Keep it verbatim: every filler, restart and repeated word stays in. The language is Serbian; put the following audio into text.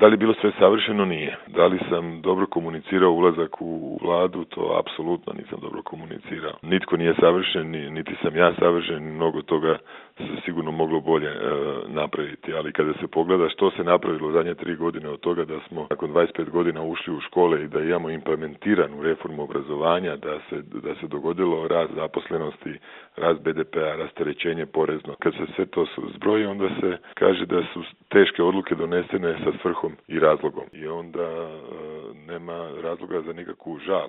Da li je bilo sve savršeno? Nije. Da li sam dobro komunicirao ulazak u vladu? To apsolutno nisam dobro komunicirao. Nitko nije savršen, niti sam ja savršen, mnogo toga se sigurno moglo bolje e, napraviti, ali kada se pogleda što se napravilo u zadnje tri godine od toga da smo nakon dvadeset pet godina ušli u škole i da imamo implementiranu reformu obrazovanja, da se, da se dogodilo rast zaposlenosti, rast be de pea, rasterećenje porezno. Kad se sve to zbroji, onda se kaže da su teške odluke donesene sa svrhom i razlogom i onda e, nema razloga za nikakvu žal.